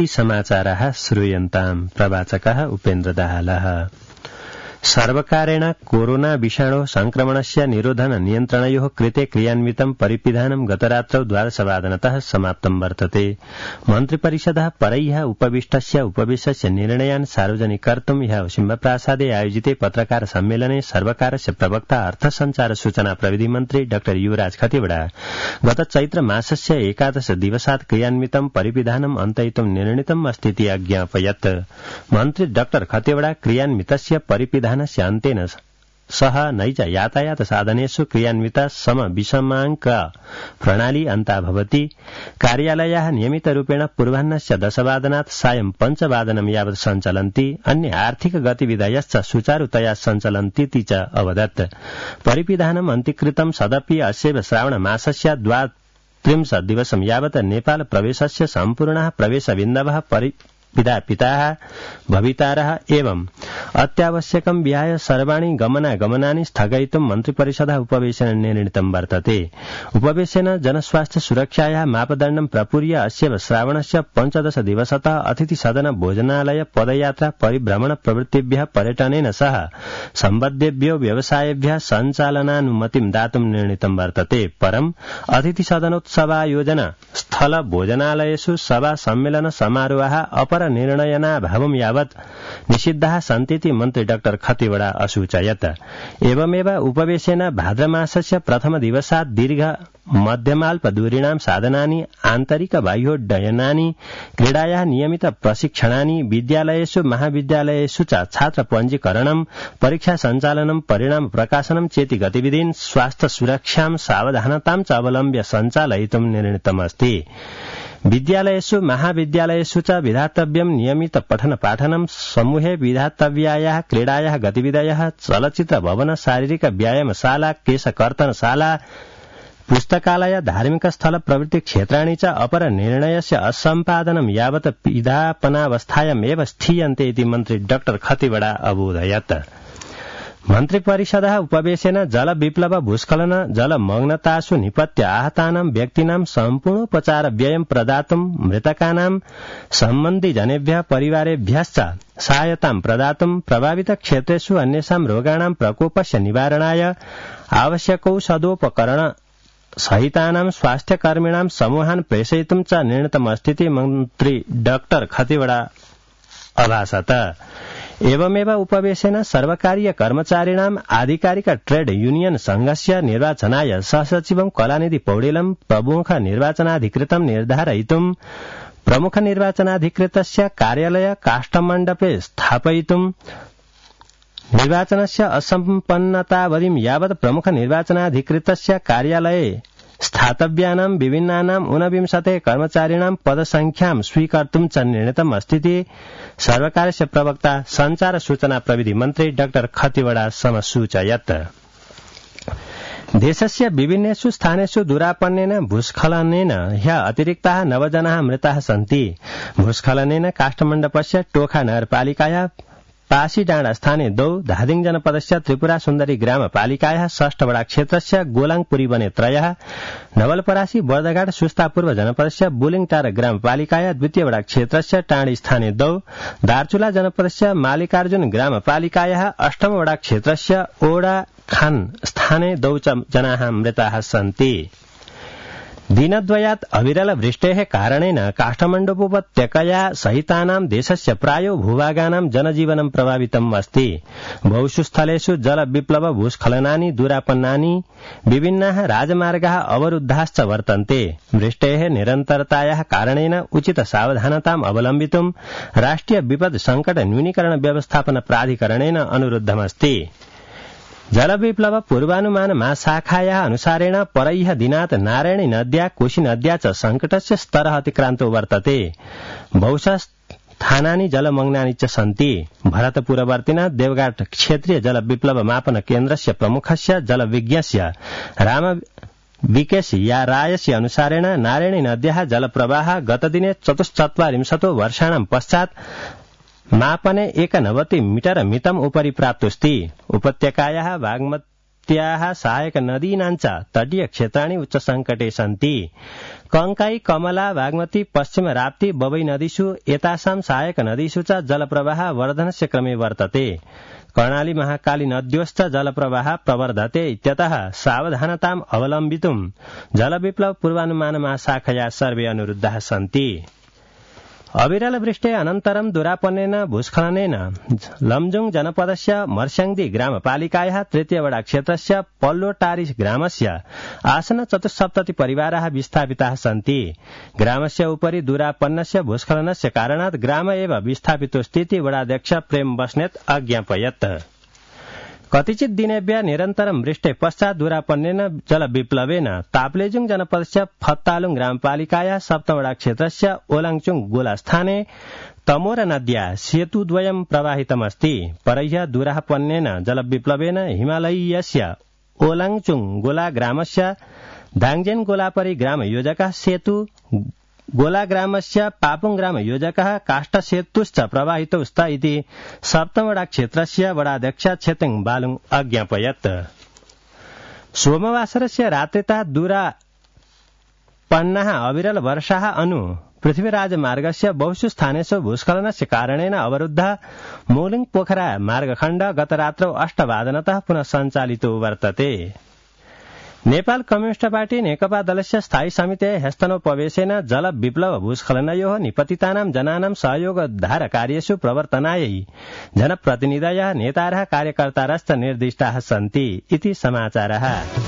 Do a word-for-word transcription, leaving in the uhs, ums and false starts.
समाचाराः श्रूयन्ताम्। प्रवाचकः उपेन्द्र दाहालः। सर्वकारेण कोरोना विषाणो संक्रमणस्य निरोधन नियन्त्रणयोः कृते क्रियान्वितं परिपिधानं गतरात्रौ द्वादशवादनतः समाप्तं वर्तते। मन्त्रिपरिषदः परह्यः उपविष्टस्य उपवेशस्य निर्णयान् सार्वजनिकर्तुं ह्यः सिंहप्रासादे आयोजिते पत्रकार सम्मेलने सर्वकारस्य प्रवक्ता अर्थसञ्चार सूचना प्रविधि मन्त्री डाक्टर युवराज खतिवड़ा गत चैत्र मासस्य एकादश दिवसात् क्रियान्वितं परिपिधानम् अन्तयितुं निर्णीतम् अस्तीति अज्ञापयत्। मन्त्री डाक्टर खतिवड़ा क्रियान्वितस्य परिपिधान अन्तेन सह नैज यातायात साधनेषु क्रियान्विता सम विषमाङ्क प्रणाली अन्ता भवति। कार्यालयाः नियमितरूपेण पूर्वाह्नस्य दशवादनात् सायं पञ्चवादनं यावत् सञ्चलन्ति। अन्य आर्थिक गतिविधयश्च सुचारुतया सञ्चलन्तीति च अवदत्। परिपिधानम् अन्तीकृतं सदपि अस्यैव श्रावणमासस्य द्वात्रिंशत् दिवसं यावत् नेपाल प्रवेशस्य सम्पूर्णः प्रवेशबिन्दवः परि पितापिताः भवितारः एवं अत्यावश्यकं विहाय सर्वाणि गमनागमनानि स्थगयितुं मन्त्रिपरिषदः उपवेशनेन निर्णीतं वर्तते। उपवेशनेन जनस्वास्थ्य सुरक्षायाः मापदण्डं प्रपूर्य अस्य श्रावणस्य पञ्चदश दिवसतः अतिथिसदन भोजनालय पदयात्रा परिभ्रमण प्रवृत्तिभ्यः पर्यटनेन सह सम्बद्धेभ्यो व्यवसायेभ्यः सञ्चालनानुमतिं दातुं निर्णीतं वर्तते। परं अतिथिसदनोत्सवायोजन स्थल भोजनालयेषु सभा सम्मेलन समारोहाः अपर निर्णयनाभावं यावत् निषिद्धाः सन्तीति मन्त्री डाक्टर खतिवड़ा असूचयत्। एवमेव उपवेशेन भाद्रमासस्य प्रथम दिवसात् दीर्घ मध्यमाल्पदूरीणां साधनानि आन्तरिक बाह्योड्डयनानि क्रीडायाः नियमित प्रशिक्षणानि विद्यालयेषु महाविद्यालयेषु च छात्र पञ्जीकरणं परीक्षा सञ्चालनं परिणाम प्रकाशनं चेति गतिविधीन् स्वास्थ्य सुरक्षां सावधानतां च अवलम्ब्य सञ्चालयितुं निर्णीतमस्ति। विद्यालयेषु महाविद्यालयेषु च विधातव्यं नियमित पठन पाठनं समूहे विधातव्यायाः क्रीडायाः गतिविधयः चलचित्र भवन शारीरिक व्यायामशाला केशकर्तनशाला पुस्तकालय धार्मिक स्थल प्रवृत्ति क्षेत्राणि च अपर निर्णयस्य असम्पादनं यावत् विधापनावस्थायामेव स्थीयन्ते इति मन्त्री डाक्टर खतिवड़ा अबोधयत्। मन्त्रिपरिषदः उपवेशेन जल विप्लव भूस्खलन जलमग्नतासु निपत्य आहतानां व्यक्तीनां सम्पूर्णोपचार व्ययं प्रदातुं मृतकानां सम्बन्धिजनेभ्यः परिवारेभ्यश्च सहायतां प्रदातुं प्रभावित क्षेत्रेषु अन्येषां रोगाणां प्रकोपस्य निवारणाय आवश्यकौषधोपकरण सहितानां स्वास्थ्यकर्मिणां समूहान् प्रेषयितुं च निर्णीतमस्तीति मन्त्री डाक्टर खतिवड़ा अभाषत। एवमेव उपवेशेन सर्वकारीय कर्मचारिणाम् आधिकारिक ट्रेड यूनियन संघस्य निर्वाचनाय सहसचिवं कलानिधि पौडेलं प्रमुख निर्वाचनाधिकृतं निर्धारयितुं प्रमुख निर्वाचनाधिकृतस्य कार्यालय काष्ठमण्डपे स्थापयितुं निर्वाचनस्य असम्पन्नतावधिं यावत् प्रमुख निर्वाचनाधिकृतस्य कार्यालये स्थातव्यानां विभिन्नानां ऊनविंशते कर्मचारिणां पदसंख्यां स्वीकर्तुं च निर्णीतम् अस्तीति सर्वकारस्य प्रवक्ता सञ्चार सूचना प्रविधि मन्त्री डाक्टर खतिवड़ा समसूचयत्। देशस्य विभिन्नेषु स्थानेषु दुरापन्नेन भूस्खलनेन ह्यः अतिरिक्ताः नवजनाः मृताः सन्ति। भूस्खलनेन काष्ठमण्डपस्य टोखा नगरपालिकायाः पासीडाँडा स्थाने द्वौ धादिङ जनपदस्य त्रिपुरा सुन्दरी ग्रामपालिकायाः षष्ठवडा क्षेत्रस्य गोलाङपुरी वने त्रयः नवलपरासी बर्दघाट सुस्तापूर्व जनपदस्य बुलिङटार ग्रामपालिकायाः द्वितीयवडा क्षेत्रस्य टाँडी स्थाने द्वौ दार्चुला जनपदस्य मालिकार्जुन ग्रामपालिकायाः अष्टमवडा क्षेत्रस्य ओडा खान स्थाने द्वौ च जनाः मृताः सन्ति। दिनद्वयात् अविरल वृष्टेः कारणेन काष्ठमण्डपोपत्यकया सहितानां देशस्य प्रायो भूभागानां जनजीवनं प्रभावितम् अस्ति। बहुषु स्थलेषु जल विप्लव भूस्खलनानि दुरापन्नानि विभिन्नाः राजमार्गाः अवरुद्धाश्च वर्तन्ते। वृष्टेः निरन्तरतायाः कारणेन उचित सावधानताम् अवलम्बितुं राष्ट्रिय विपद् संकट न्यूनीकरण व्यवस्थापन प्राधिकरणेन अनुरुद्धमस्ति। जलविप्लव पूर्वानुमान महाशाखायाः अनुसारेण परह्यः दिनात् नारायणी नद्या कोशी नद्या च संकटस्य स्तरः अतिक्रान्तो वर्तते। बहुशः स्थानानि जलमग्नानि च सन्ति। भरतपुरवर्तिना देवघाट क्षेत्रीय जलविप्लव मापन केन्द्रस्य प्रमुखस्य जलविज्ञस्य राम विकेश या रायस्य अनुसारेण नारायणी नद्याः जलप्रवाहः गतदिने चतुश्चत्वारिंशतो वर्षाणां पश्चात् मापने एकनवति मीटर मितम् उपरि प्राप्तोऽस्ति। उपत्यकायाः बागमती इत्याह सहायक नदीनाञ्च तटीय क्षेत्राणि उच्च संकटे सन्ति। कंकाई, कमला, बागमती, पश्चिम राप्ती, बबै नदीषु एतासां सहायक नदीषु च जलप्रवाह वर्धनस्य क्रमे वर्तते। कर्णाली, महाकाली नद्योश्च जलप्रवाह प्रवर्धते इत्यतः सावधानताम् अवलम्बितुं जलविप्लव पूर्वानुमान महाशाखया सर्वे अनुरुद्धाः सन्ति। अविरल वृष्टे अनन्तरं दुरापन्नेन भूस्खलनेन लमजुङ जनपदस्य मर्स्याङदी ग्रामपालिकायाः तृतीयवडा क्षेत्रस्य पल्लोटारी ग्रामस्य आसन चतुस्सप्तति परिवाराः विस्थापिताः सन्ति। ग्रामस्य उपरि दुरापन्नस्य भूस्खलनस्य कारणात् ग्राम एव विस्थापितोऽस्तीति वडाध्यक्ष प्रेम बस्नेत अज्ञापयत्। कतिचित् दिनेभ्यः निरन्तरं वृष्टे पश्चात् दुरापन्नेन जलविप्लवेन ताप्लेजुङ जनपदस्य फत्तालुङ ग्रामपालिकायाः सप्तमवडा क्षेत्रस्य ओलाङचुङ गोलास्थाने तमोर नद्या सेतुद्वयं प्रवाहितमस्ति। परह्य दुरापन्नेन जलविप्लवेन हिमालयीयस्य ओलाङचुङ गोला ग्रामस्य दाङजेन गोलापरि ग्रामयोजकः सेतु गोला ग्रामस्य पापुङ ग्रामयोजकः काष्ठसेतुश्च प्रवाहितौ स्त इति सप्तमवडा क्षेत्रस्य वडाध्यक्ष छेतेङ बालुङ अज्ञापयत्। सोमवासरस्य रात्रितः दुरापन्नाः अविरल वर्षाः अनु पृथ्वीराजमार्गस्य बहुषु स्थानेषु भूस्खलनस्य कारणेन अवरुद्धः मोलिङ पोखरा मार्गखण्ड गतरात्रौ अष्टवादनतः पुनः सञ्चालितो वर्तते। नेपाल कम्युनिस्ट पार्टी नेकपा दलस्य स्थायी समितेः ह्यस्तनोपवेशेन जल विप्लव भूस्खलनयोः निपतितानां जनानां सहयोगोद्धार कार्येषु प्रवर्तनायै जनप्रतिनिधयः नेतारः कार्यकर्तारश्च निर्दिष्टाः सन्ति इति समाचारः।